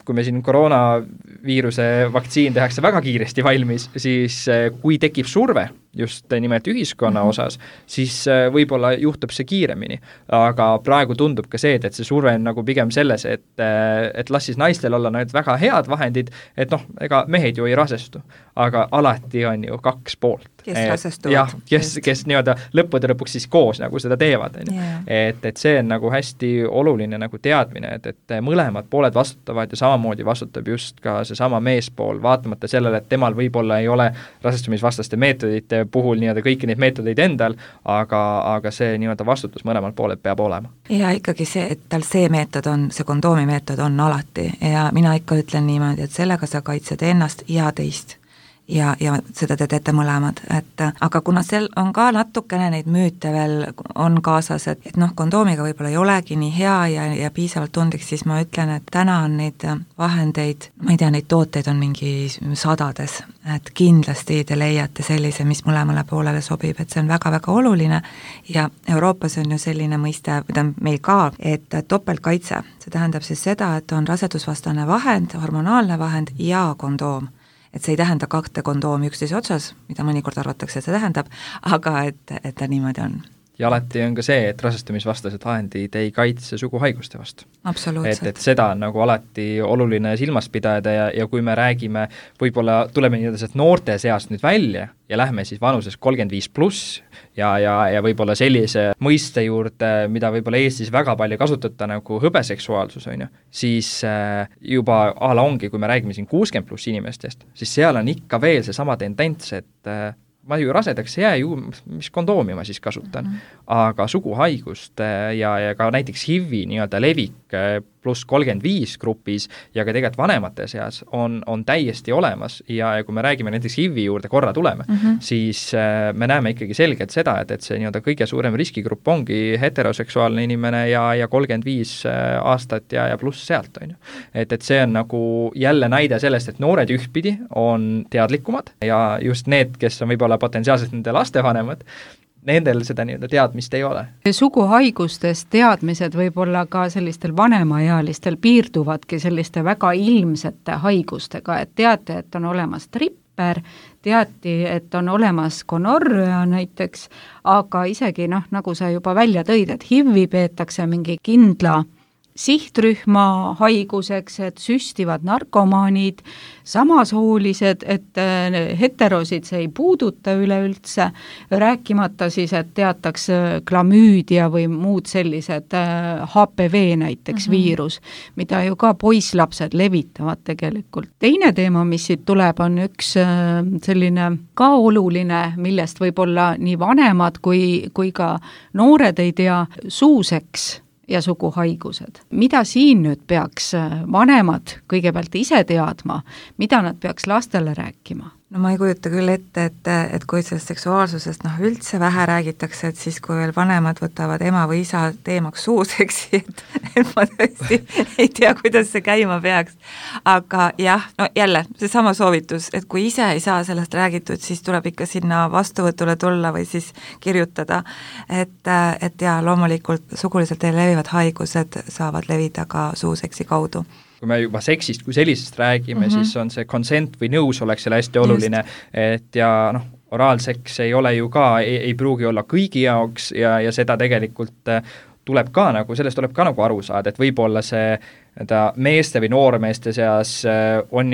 Kui me siin koroonaviiruse vaktsiin tehakse väga kiiresti valmis, siis kui tekib surve just nimelt ühiskonna osas, siis võib-olla juhtub see kiiremini. Aga praegu tundub ka see, et see surve on nagu pigem selles, et las siis naistel olla need väga head vahendid, et ega mehed ju ei rasestu, aga alati on ju kaks poolt. Kes rasestuvad. Kes nii-öelda lõppude lõpuks siis koos nagu seda teevad. Et see on nagu hästi oluline nagu teadmine, et mõlemad pooled vastutavad ja samamoodi vastutab just ka see sama meespool, vaatamata sellele, et temal võib-olla ei ole rasestumisvastaste meetodite puhul nii-öelda kõiki neid meetodeid endal, aga see nii-öelda vastutus mõlemalt pooled peab olema. Ja ikkagi see, et tal see meetod on, see kondoomi meetod on alati ja mina ikka ütlen niimoodi, et sellega sa kaitsed ennast ja teist. Ja seda te teete mõlemad, aga kuna seal on ka natukene neid müüte veel on kaasas, et kondoomiga võib-olla ei olegi nii hea ja piisavalt tundlik, siis ma ütlen, et täna on neid vahendeid, ma ei tea, neid tooteid on mingi sadades, et kindlasti te leiate sellise, mis mõlemale poolele sobib, et see on väga-väga oluline ja Euroopas on ju selline mõiste, mida meil ka, et topeltkaitse, see tähendab siis seda, et on rasedusvastane vahend, hormonaalne vahend ja kondoom. Et see ei tähenda 2 kondoomi üksteise otsas, mida mõnikord arvatakse, et see tähendab, aga et ta niimoodi on. Ja alati on ka see, et rasestumisvastased vahendid ei kaitse suguhaiguste vastu. Absoluutselt. Et seda on nagu alati oluline silmas pidada ja kui me räägime, võib-olla tuleme nii-öelda noorte seast nüüd välja ja lähme siis vanuses 35+ ja võib-olla sellise mõiste juurde, mida võib-olla Eestis väga palju kasutada nagu hõbeseksuaalsus, on ju, siis juba ongi, kui me räägime siin 60+ inimestest, siis seal on ikka veel see sama tendents, et ma ju rasedaks jää ju, mis kondoomi ma siis kasutan, aga suguhaigust ja ka näiteks HIV-i nii-öelda levik pluss 35 grupis ja ka tegelikult vanemate seas on täiesti olemas ja kui me räägime näiteks HIV-i juurde korra tuleme, siis me näeme ikkagi selgelt seda, et see nii-öelda kõige suurem riskigrupp ongi heteroseksuaalne inimene ja 35 aastat ja pluss sealt, on ju. Et see on nagu jälle näide sellest, et noored ühtpidi on teadlikumad ja just need, kes on võib-olla potentsiaalselt nende lastevanemad, nendel seda nii-öelda teadmist ei ole. Suguhaigustest teadmised võib-olla ka sellistel vanemaealistel piirduvadki selliste väga ilmsete haigustega, et teate, et on olemas tripper, teati, et on olemas gonorrea näiteks, aga isegi nagu sa juba välja tõid, et HIV-i peetakse mingi kindla sihtrühma haiguseks, et süstivad narkomaanid, samasoolised, et heterosid see ei puuduta üleüldse, rääkimata siis, et teatakse klamüüdia või muud sellised HPV näiteks viirus, mida ju ka poisslapsed levitavad tegelikult. Teine teema, mis siit tuleb, on üks selline ka oluline, millest võib-olla nii vanemad kui ka noored ei tea, suuseks ja suguhaigused. Mida siin nüüd peaks vanemad kõigepealt ise teadma, mida nad peaks lastele rääkima? No ma ei kujuta küll ette, et kui sellest seksuaalsusest üldse vähe räägitakse, et siis kui veel vanemad võtavad ema või isa teemaks suuseksi, et ma tõesti ei tea, kuidas see käima peaks. Aga jah, no jälle, seesama soovitus, et kui ise ei saa sellest räägitud, siis tuleb ikka sinna vastuvõtule tulla või siis kirjutada, et ja loomulikult suguliselt levivad haigused saavad levida ka suuseksi kaudu. Kui me juba seksist kui sellisest räägime, siis on see consent või nõusolek selle hästi oluline, et ja oraalseks ei ole ju ka, ei pruugi olla kõigi jaoks ja seda tegelikult tuleb ka sellest tuleb ka aru saada, et võib-olla see meeste või noormeeste seas on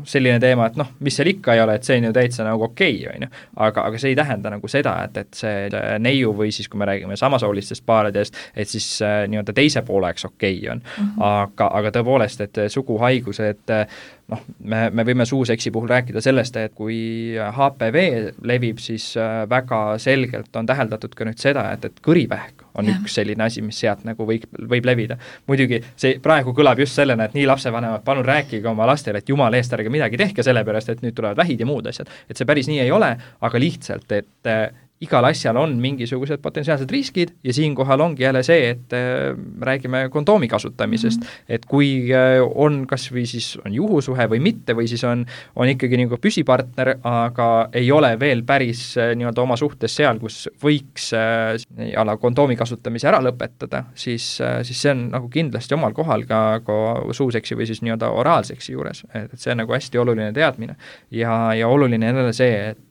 selline teema, et mis seal ikka ei ole, et see on ju täitsa okei, aga see ei tähenda seda, et see neiu või siis, kui me räägime samasoolistest paaridest, et siis teise pooleks okei on. Aga tõepoolest, et suguhaigused, me võime suuseksi puhul rääkida sellest, et kui HPV levib, siis väga selgelt on täheldatud ka nüüd seda, et kõrivähk on üks selline asi, mis sealt võib levida. Muidugi see praegu kõlab just sellena, et nii lapsevanemad, palun rääkige oma lastele, et jumala eest ärge midagi tehke sellepärast, et nüüd tulevad vähid ja muud asjad. Et see päris nii ei ole, aga lihtsalt, et igal asjal on mingisugused potentsiaalsed riskid ja siinkohal ongi jälle see, et räägime kondoomi kasutamisest, et kui on kas või siis on juhusuhe või mitte, või siis on ikkagi püsipartner, aga ei ole veel päris oma suhtes seal, kus võiks kondoomi kasutamise ära lõpetada, siis see on kindlasti omal kohal ka suuseksi või siis oraalseksi juures, et see on hästi oluline teadmine ja oluline jälle see, et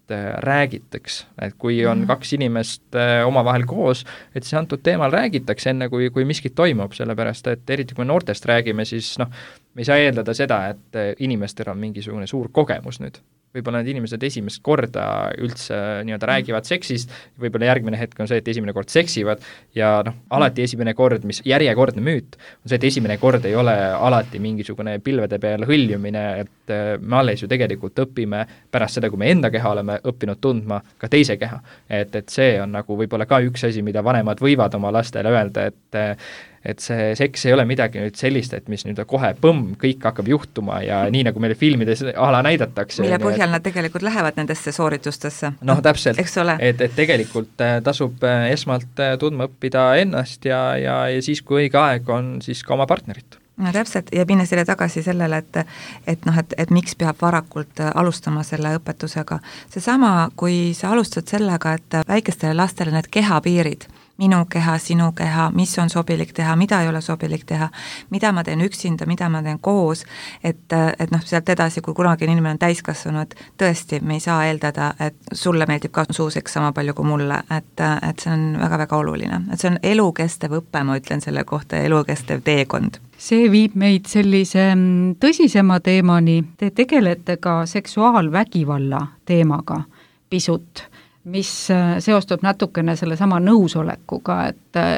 räägitaks, et kui on kaks inimest omavahel koos, et see antud teemal räägitakse enne, kui miskit toimub, sellepärast, et eriti kui noortest räägime, siis me ei saa eeldada seda, et inimestel on mingisugune suur kogemus nüüd. Võib-olla need inimesed esimest korda üldse räägivad seksist, võib-olla järgmine hetk on see, et esimene kord seksivad ja alati esimene kord, mis järjekordne müüt, on see, et esimene kord ei ole alati mingisugune pilvede peal hõljumine, et me alles ju tegelikult õpime pärast seda, kui me enda keha oleme õppinud tundma ka teise keha. Et see on võib-olla ka üks asi, mida vanemad võivad oma lastele öelda, et see seks ei ole midagi nüüd sellist, et mis nüüd kohe kõik hakkab juhtuma ja nii nagu meile filmides näidatakse. Mille põhjal nad tegelikult lähevad nendesse sooritustesse. Täpselt, et tegelikult tasub esmalt tundma õppida ennast ja siis, kui õige aeg on, siis ka oma partnerit. No täpselt, ja minna selle tagasi sellele, et miks peab varakult alustama selle õpetusega. Seesama, kui sa alustad sellega, et väikestele lastele need kehapiirid, minu keha, sinu keha, mis on sobilik teha, mida ei ole sobilik teha, mida ma teen üksinda, mida ma teen koos, et sealt edasi, kui kunagi inimene on täiskasvanud, tõesti, me ei saa eeldada, et sulle meeldib ka suuseks sama palju kui mulle, et see on väga-väga oluline. Et see on elukestev õppe, ma ütlen selle kohta, elukestev teekond. See viib meid sellise tõsisema teemani. Te tegelete ka seksuaalvägivalla teemaga pisut, mis seostub natukene selle sama nõusolekuga,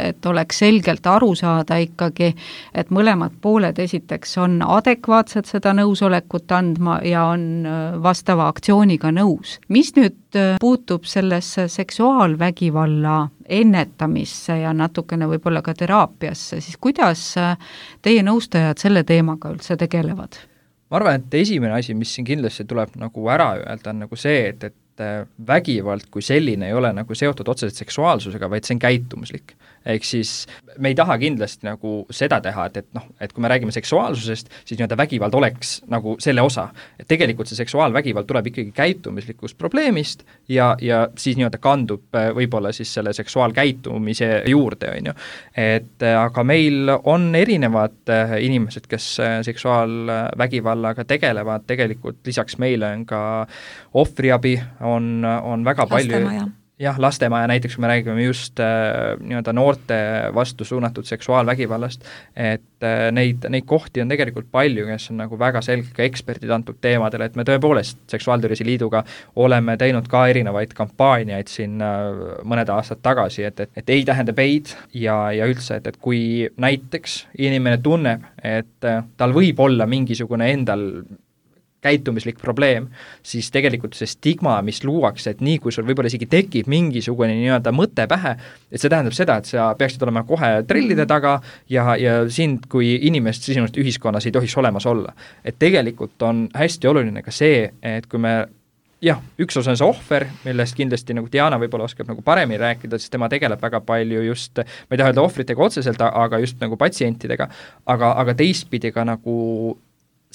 et oleks selgelt aru saada ikkagi, et mõlemad pooled esiteks on adekvaatsed seda nõusolekut andma ja on vastava aktsiooniga nõus. Mis nüüd puutub sellesse seksuaalvägivalla ennetamisse ja natukene võib-olla ka teraapiasse, siis kuidas teie nõustajad selle teemaga üldse tegelevad? Ma arvan, et esimene asi, mis siin kindlasti tuleb ära öelda, on see, et vägivald kui selline ei ole nagu seotud otseselt seksuaalsusega, vaid see on käitumuslik. Ehk siis me ei taha kindlasti nagu seda teha, et kui me räägime seksuaalsusest, siis nii-öelda vägivald oleks nagu selle osa. Et tegelikult see seksuaalvägivald tuleb ikkagi käitumislikust probleemist ja siis nii-öelda kandub võib-olla siis selle seksuaalkäitumise juurde, on ju. Aga meil on erinevad inimesed, kes seksuaalvägivallaga tegelevad, tegelikult lisaks meile on ka ohvriabi, on väga palju... Jah, lastemaja näiteks, kui me räägime just nii-öelda noorte vastu suunatud seksuaalvägivallast, et neid kohti on tegelikult palju, kes on nagu väga selgelt ka eksperdid antud teemadel, et me tõepoolest Seksuaaltervise Liiduga oleme teinud ka erinevaid kampaaniaid siin mõned aastad tagasi, et ei tähendab eid ja üldse, et kui näiteks inimene tunneb, et tal võib olla mingisugune endal käitumislik probleem, siis tegelikult see stigma, mis luuakse, et nii kui sul võib-olla isegi tekib mingisugune nii-öelda mõte pähe, et see tähendab seda, et sa peaksid olema kohe trellide taga ja sind kui inimest sinust ühiskonnas ei tohiks olemas olla. Et tegelikult on hästi oluline ka see, et kui me üks osa on see ohver, millest kindlasti nagu Diana võib-olla oskab nagu paremini rääkida, sest tema tegeleb väga palju just, ma ei taha öelda ohvritega otseselt, aga just nagu patsientidega, aga teistpidi ka nagu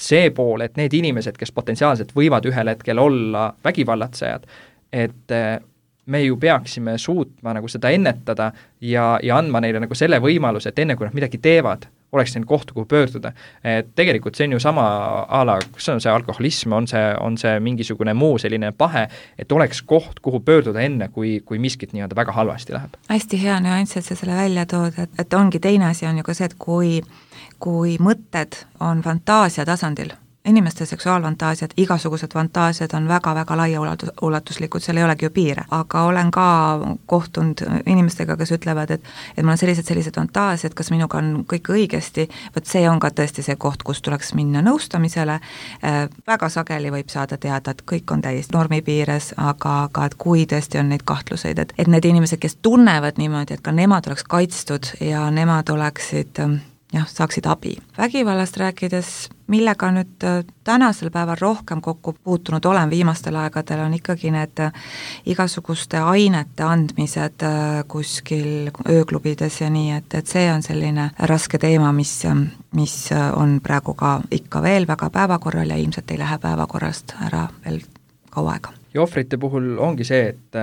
see pool, et need inimesed, kes potentsiaalselt võivad ühel hetkel olla vägivallatsejad, et me ju peaksime suutma nagu seda ennetada ja andma neile nagu selle võimaluse, et enne kui nad midagi teevad, oleks neil koht, kuhu pöörduda. Et tegelikult see on ju sama ala, kus on see alkoholism, on see mingisugune muu selline pahe, et oleks koht, kuhu pöörduda enne, kui miskit nii-öelda väga halvasti läheb. Hästi hea nüanss, et sa selle välja tood, et ongi teine asi on ju ka see, et kui mõtted on fantaasia tasandil, inimeste seksuaalfantaasiad, igasugused fantaasiad on väga-väga laiaulatuslikud, seal ei olegi ju piire, aga olen ka kohtunud inimestega, kes ütlevad, et mul on sellised fantaasiad, kas minuga on kõik õigesti, võt see on ka tõesti see koht, kus tuleks minna nõustamisele, väga sageli võib saada teada, et kõik on täiesti normi piires, aga et kui tõesti on neid kahtluseid, et need inimesed, kes tunnevad niimoodi, et ka nemad oleks kaitstud ja nemad oleksid saaksid abi. Vägivallast rääkides, millega nüüd tänasel päeval rohkem kokku puutunud olen viimastel aegadel, on ikkagi need igasuguste ainete andmised kuskil ööklubides ja nii, et see on selline raske teema, mis on praegu ka ikka veel väga päevakorral ja ilmselt ei lähe päevakorrast ära veel kaua aega. Ja ohvrite puhul ongi see, et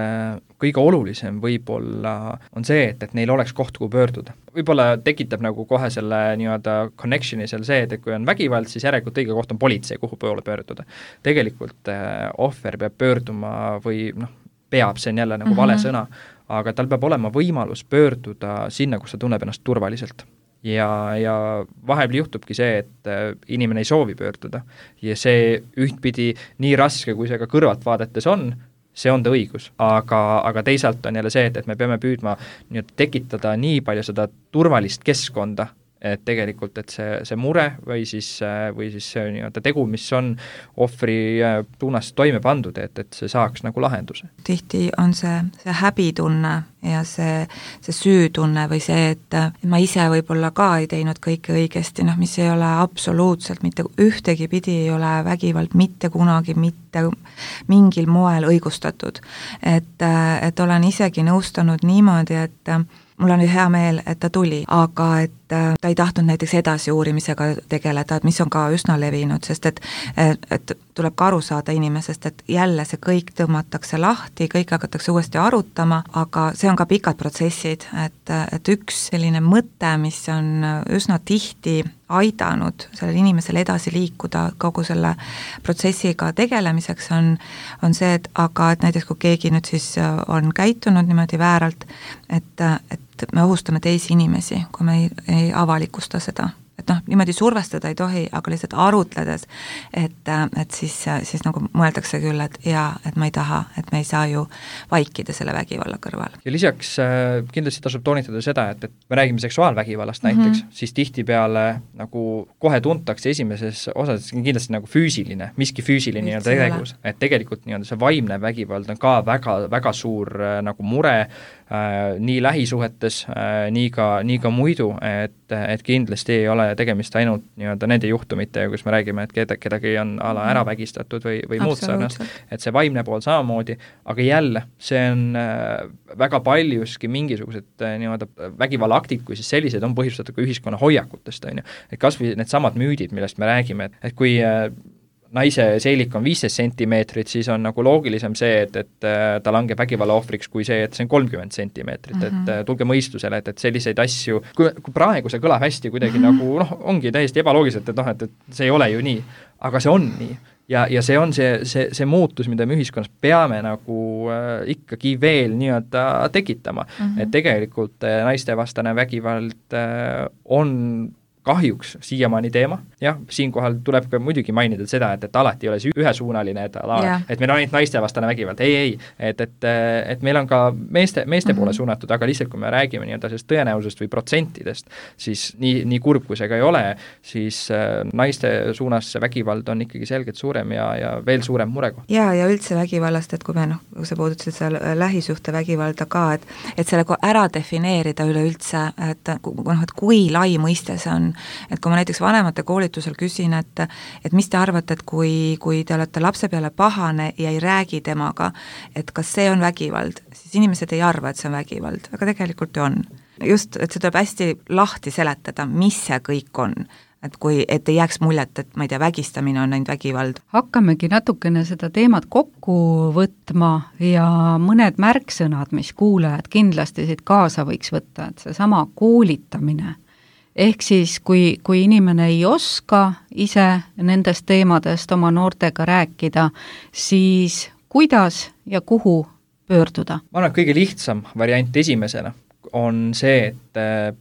kõige olulisem võib-olla on see, et neil oleks koht, kuhu pöörduda. Võib-olla tekitab nagu kohe selle nii-öelda connectioni seal see, et kui on vägivald, siis järelikult õige koht on politsei, kuhu poole pöörduda. Tegelikult ohver peab pöörduma või peab, see on jälle nagu vale sõna, aga tal peab olema võimalus pöörduda sinna, kus ta tunneb ennast turvaliselt. Ja vahel juhtubki see, et inimene ei soovi pöörduda ja see ühtpidi nii raske, kui see ka kõrvalt vaadates on, see on ta õigus, aga teisalt on jälle see, et me peame püüdma tekitada nii palju seda turvalist keskkonda, et tegelikult, et see mure või siis see nii-öelda tegu, mis on ohvri suunas toime pandud, et see saaks nagu lahenduse. Tihti on see häbitunne ja see süütunne või see, et ma ise võib-olla ka ei teinud kõike õigesti, mis ei ole absoluutselt mitte ühtegi pidi ei ole vägivald mitte kunagi, mitte mingil moel õigustatud. Et olen isegi nõustanud niimoodi, et mul on hea meel, et ta tuli, aga et ta ei tahtnud näiteks edasi uurimisega tegeleda, et mis on ka üsna levinud, sest et tuleb ka aru saada inimesest, et jälle see kõik tõmmatakse lahti, kõik hakatakse uuesti arutama, aga see on ka pikad protsessid, et üks selline mõte, mis on üsna tihti aidanud sellel inimesel edasi liikuda kogu selle protsessiga tegelemiseks on see, et näiteks kui keegi nüüd siis on käitunud niimoodi vääralt, et me ohustame teisi inimesi, kui me ei avalikusta seda. Et niimoodi survestada ei tohi, aga lihtsalt arutledes, et siis nagu mõeldakse küll, et ma ei taha, et me ei saa ju vaikida selle vägivalla kõrval. Ja lisaks kindlasti tasub toonitada seda, et me räägime seksuaalvägivallast näiteks, siis tihtipeale nagu kohe tuntakse esimeses osas kindlasti nagu füüsiline, miski füüsiline nii-öelda tegus, et tegelikult nii-öelda see vaimne vägivald on ka väga, väga suur nagu mure, nii lähisuhetes, nii ka muidu, et kindlasti ei ole tegemist ainult nii-öelda nende juhtumitega, kus me räägime, et kedagi on ära vägistatud või muud sarnast, et see vaimne pool samamoodi, aga jälle, see on väga paljuski mingisugused nii-öelda vägivallaaktid, kui siis sellised on põhjustatud ka ühiskonna hoiakutest, on ju. Et kas või need samad müüdid, millest me räägime, et kui naise seelik on 15 sentimeetrit, siis on nagu loogilisem see, et ta langeb vägivalla ohvriks kui see, et see on 30 sentimeetrit, et tulge mõistusele, et selliseid asju, kui praegu see kõlab hästi kuidagi nagu, ongi täiesti ebaloogiliselt, et see ei ole ju nii, aga see on nii. Ja see on see muutus, mida me ühiskonnas peame nagu ikkagi veel nii-öelda tekitama. Et tegelikult naistevastane vägivald on kahjuks siiamaani teema, jah, siinkohal tuleb ka muidugi mainida seda, et alati ei ole see ühesuunaline, et meil on ainult naistevastane vägivald, et meil on ka meeste poole suunatud, aga lihtsalt kui me räägime nii-öelda sellest tõenäosusest või protsentidest, siis nii kurb kui see ka ei ole, siis naiste suunas see vägivald on ikkagi selgelt suurem ja veel suurem murekoht. Ja üldse vägivallast, et kui me kui sa puudutasid seal lähisuhte vägivalda ka, et selle ära defineerida üleüldse, et kui lai mõiste see on, et kui ma näiteks vanemate koolitusel küsin, et mis te arvate, et kui te olete lapse peale pahane ja ei räägi temaga, et kas see on vägivald, siis inimesed ei arva, et see on vägivald, aga tegelikult ju on. Just, et see tuleb hästi lahti seletada, mis see kõik on, et ei jääks muljet, et ma ei tea, vägistamine on ainult vägivald. Hakkamegi natukene seda teemat kokku võtma ja mõned märksõnad, mis kuulajad kindlasti siit kaasa võiks võtta, et see sama koolitamine. Ehk siis, kui inimene ei oska ise nendest teemadest oma noortega rääkida, siis kuidas ja kuhu pöörduda? Ma arvan, kõige lihtsam variant esimesena on see, et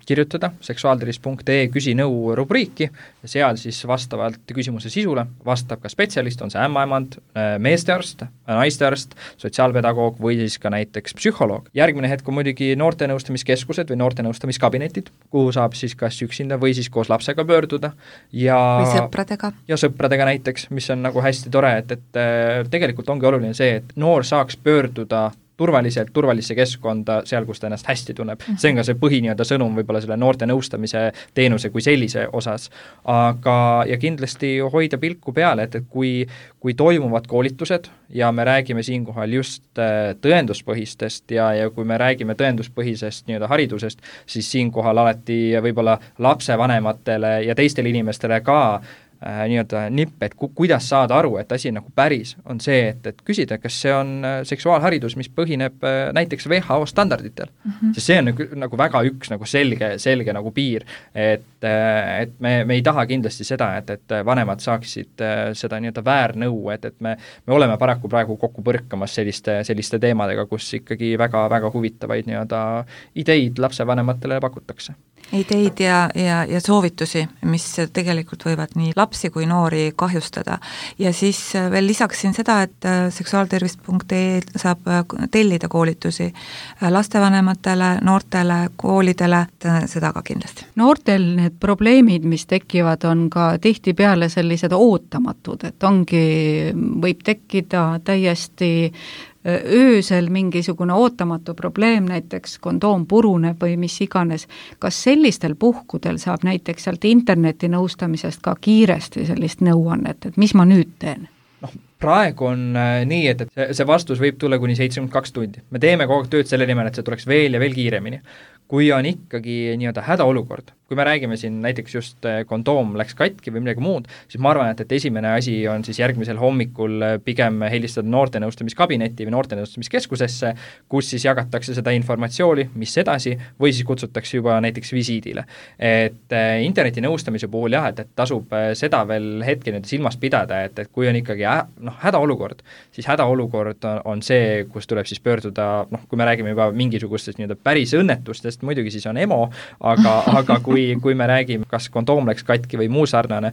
kirjutada seksuaaltervis.ee küsi nõu rubriiki ja seal siis vastavalt küsimuse sisule vastab ka spetsialist, on see ämmaemand, meestearst, naistearst, sotsiaalpedagoog või siis ka näiteks psühholoog. Järgmine hetk on muidugi noortenõustamiskeskused või noortenõustamiskabinetid, kuhu saab siis kas üksinda või siis koos lapsega pöörduda või sõpradega. Ja sõpradega näiteks, mis on nagu hästi tore, et tegelikult ongi oluline see, et noor saaks pöörduda turvalisse keskkonda seal, kus ta ennast hästi tunneb. See on ka see põhiniada sõnum võib-olla selle noorte nõustamise teenuse kui sellise osas. Ja kindlasti hoida pilku peale, et kui toimuvad koolitused ja me räägime siinkohal just tõenduspõhistest ja kui me räägime tõenduspõhisest nii-öelda haridusest, siis siinkohal alati võib-olla lapsevanematele ja teistele inimestele ka nii-öelda nipp, et kuidas saada aru, et asi nagu päris, on see, et küsida, kas see on seksuaalharidus, mis põhineb näiteks WHO standarditel. Sest see on nagu väga üks nagu selge nagu piir, et me ei taha kindlasti seda, et vanemad saaksid seda nii-öelda väärnõu, et me oleme paraku praegu kokku põrkamas selliste teemadega, kus ikkagi väga huvitavaid nii-öelda ideid lapsevanematele pakutakse. Ideid ja soovitusi, mis tegelikult võivad nii lapsi kui noori kahjustada. Ja siis veel lisaksin seda, et seksuaaltervis.ee saab tellida koolitusi lastevanematele, noortele, koolidele, seda ka kindlasti. Noortel need probleemid, mis tekivad, on ka tihtipeale sellised ootamatud, et võib tekkida täiesti öösel mingisugune ootamatu probleem, näiteks kondoom puruneb või mis iganes. Kas sellistel puhkudel saab näiteks sealt interneti nõustamisest ka kiiresti sellist nõuannet, et mis ma nüüd teen? Praegu on nii, et see vastus võib tulla kuni 72 tundi. Me teeme kogu aeg tööd selle nimel, et see tuleks veel ja veel kiiremini. Kui on ikkagi nii-öelda hädaolukord, kui me räägime siin näiteks just kondoom läks katki või midagi muud, siis ma arvan, et esimene asi on siis järgmisel hommikul pigem helistada noortenõustamiskabinetti või noortenõustamiskeskusesse, kus siis jagatakse seda informatsiooni, mis edasi, või siis kutsutakse juba näiteks visiidile. Et interneti nõustamise puhul jah, et tasub seda veel hetke nüüd silmas pidada, et kui on ikkagi hädaolukord, siis hädaolukord on see, kus tuleb siis pöörduda, kui me räägime juba mingisugustest nii-öelda päris õnnetustest, muidugi siis on EMO, aga kui kui me räägime, kas kondoom läks katki või muu sarnane,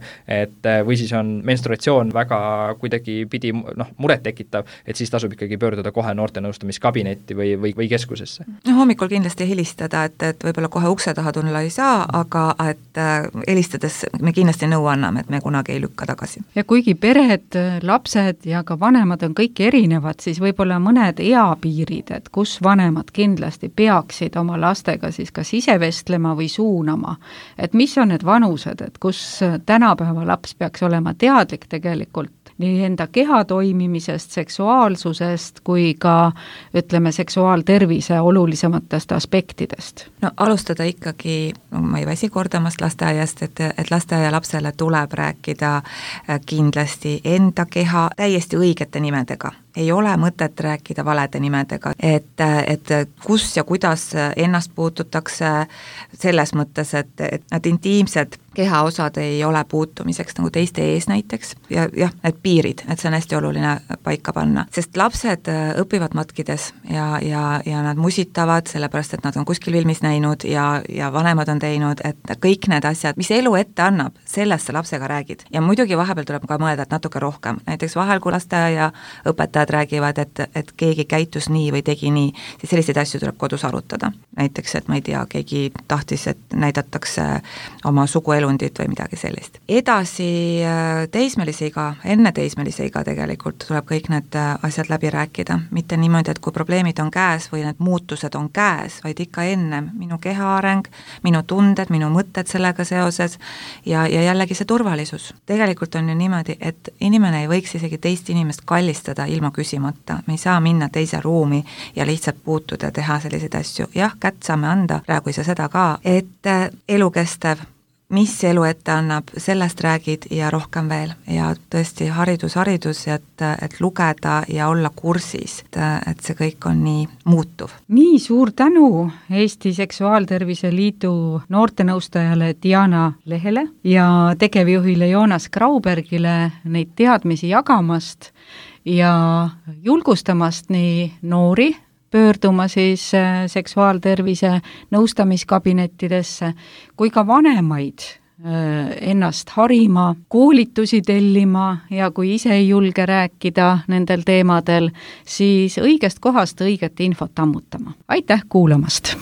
või siis on menstruatsioon väga kuidagi pidi muret tekitav, et siis tasub ikkagi pöörduda kohe noortenõustamiskabinetti või keskusesse. Hommikul kindlasti helistada, et võib-olla kohe ukse taha tulla ei saa, aga et helistades me kindlasti nõu anname, et me kunagi ei lükka tagasi. Ja kuigi pered, lapsed ja ka vanemad on kõik erinevad, siis võib-olla mõned eapiirid, et kus vanemad kindlasti peaksid oma lastega siis kas ise vestlema või suunama, et mis on need vanused, et kus tänapäeva laps peaks olema teadlik tegelikult nii enda keha toimimisest, seksuaalsusest kui ka, ütleme, seksuaaltervise olulisematest aspektidest? No alustada ikkagi, ma ei väsi kordamast lasteaiast, et lasteaia lapsele tuleb rääkida kindlasti enda keha täiesti õigete nimedega. Ei ole mõtet rääkida valede nimedega, et kus ja kuidas ennast puututakse selles mõttes, et need intiimsed kehaosad ei ole puutumiseks nagu teiste ees näiteks ja need piirid, et see on hästi oluline paika panna, sest lapsed õpivad matkides ja nad musitavad, sellepärast et nad on kuskil filmis näinud ja vanemad on teinud, et kõik need asjad, mis elu ette annab, sellest sa lapsega räägid. Ja muidugi vahepeal tuleb ka mõelda, et natuke rohkem, näiteks vahel, kui lasteaia õpetajad räägivad, et keegi käitus nii või tegi nii, siis selliseid asju tuleb kodus arutada. Näiteks, et ma ei tea, keegi tahtis, et näidatakse oma suguelundit või midagi sellist. Edasi teismelise iga, enne teismelise iga tegelikult tuleb kõik need asjad läbi rääkida. Mitte niimoodi, et kui probleemid on käes või need muutused on käes, vaid ikka ennem minu kehaareng, minu tunded, minu mõtted sellega seoses ja jällegi see turvalisus. Tegelikult on ju niimoodi, et inimene ei võiks isegi teist inimest kallistada ilma küsimata. Me ei saa minna teise ruumi ja lihtsalt puutuda, teha selliseid asju. Jah, kätt saame anda, praegu ei saa seda ka, et elukestev, mis elu ette annab, sellest räägid ja rohkem veel. Ja tõesti haridus, et lugeda ja olla kursis, et see kõik on nii muutuv. Nii suur tänu Eesti Seksuaaltervise Liidu noortenõustajale Diana Lehele ja tegevjuhile Joonas Graubergile neid teadmisi jagamast ja julgustamast nii noori pöörduma siis seksuaaltervise nõustamiskabinettidesse kui ka vanemaid ennast harima, koolitusi tellima ja kui ise ei julge rääkida nendel teemadel, siis õigest kohast õiget infot ammutama. Aitäh kuulamast!